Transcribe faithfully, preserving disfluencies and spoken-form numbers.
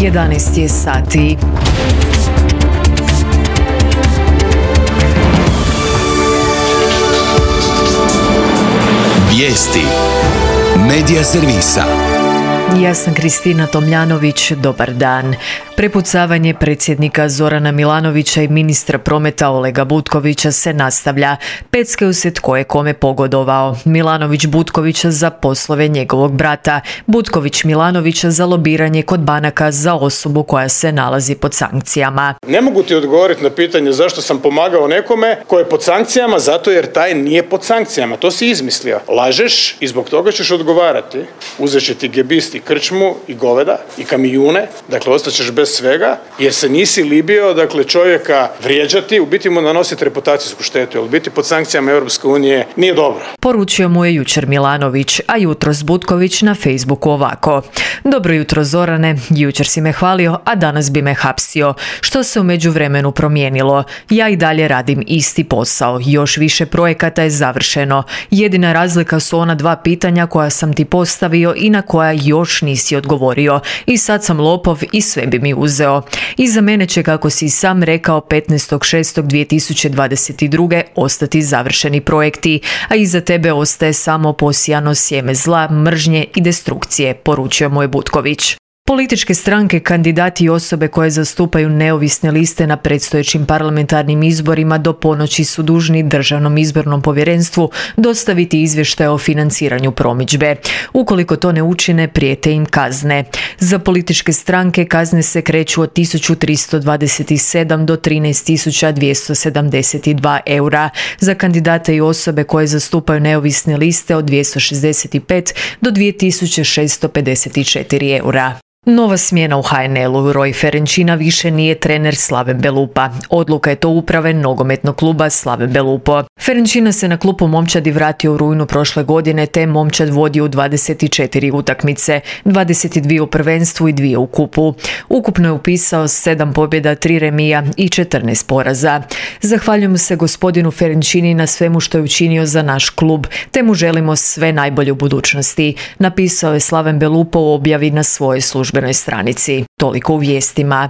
jedanaest je sati. Vijesti Medija servisa. Ja sam Kristina Tomljanović, dobar dan. Prepucavanje predsjednika Zorana Milanovića i ministra prometa Olega Butkovića se nastavlja. Peckaju se tko je kome pogodovao. Milanović Butkovića za poslove njegovog brata, Butković Milanovića za lobiranje kod banaka za osobu koja se nalazi pod sankcijama. Ne mogu ti odgovoriti na pitanje zašto sam pomagao nekome ko je pod sankcijama, zato jer taj nije pod sankcijama. To si izmislio. Lažeš i zbog toga ćeš odgovarati. Uzet će ti gebist i krčmu i goveda i kamijune, dakle ostaćeš bez svega, jer se nisi libio, dakle, čovjeka vrijeđati, u biti mu nanositi reputacijsku štetu, jer biti pod sankcijama Europske unije nije dobro. Poručio mu je jučer Milanović, a jutros Butković na Facebooku ovako: dobro jutro Zorane, jučer si me hvalio, a danas bi me hapsio. Što se u međuvremenu promijenilo? Ja i dalje radim isti posao, još više projekata je završeno. Jedina razlika su ona dva pitanja koja sam ti postavio i na koja još nisi odgovorio. I sad sam lopov i sve bi mi uzeo. Iza mene će, kako si sam rekao, petnaestog šestog dvije tisuće dvadeset druge ostati završeni projekti, a iza tebe ostaje samo posijano sjeme zla, mržnje i destrukcije, poručio mu je Butković. Političke stranke, kandidati i osobe koje zastupaju neovisne liste na predstojećim parlamentarnim izborima do ponoći su dužni Državnom izbornom povjerenstvu dostaviti izvještaj o financiranju promidžbe. Ukoliko to ne učine, prijete im kazne. Za političke stranke kazne se kreću od tisuću tristo dvadeset sedam do trinaest tisuća dvjesto sedamdeset dva eura. Za kandidate i osobe koje zastupaju neovisne liste od dvjesto šezdeset pet do dvije tisuće šesto pedeset četiri eura. Nova smjena u ha en el-u. Roj Ferenčina više nije trener Slaven Belupa. Odluka je to uprave nogometnog kluba Slaven Belupo. Ferenčina se na klupu momčadi vratio u rujnu prošle godine, te momčad vodi u dvadeset četiri utakmice, dvadeset dvije u prvenstvu i dvije u kupu. Ukupno je upisao sedam pobjeda, tri remija i četrnaest poraza. Zahvaljujemo se gospodinu Ferenčini na svemu što je učinio za naš klub, te mu želimo sve najbolje u budućnosti, napisao je Slaven Belupo u objavi na svojoj službenoj stranici. Toliko u vijestima.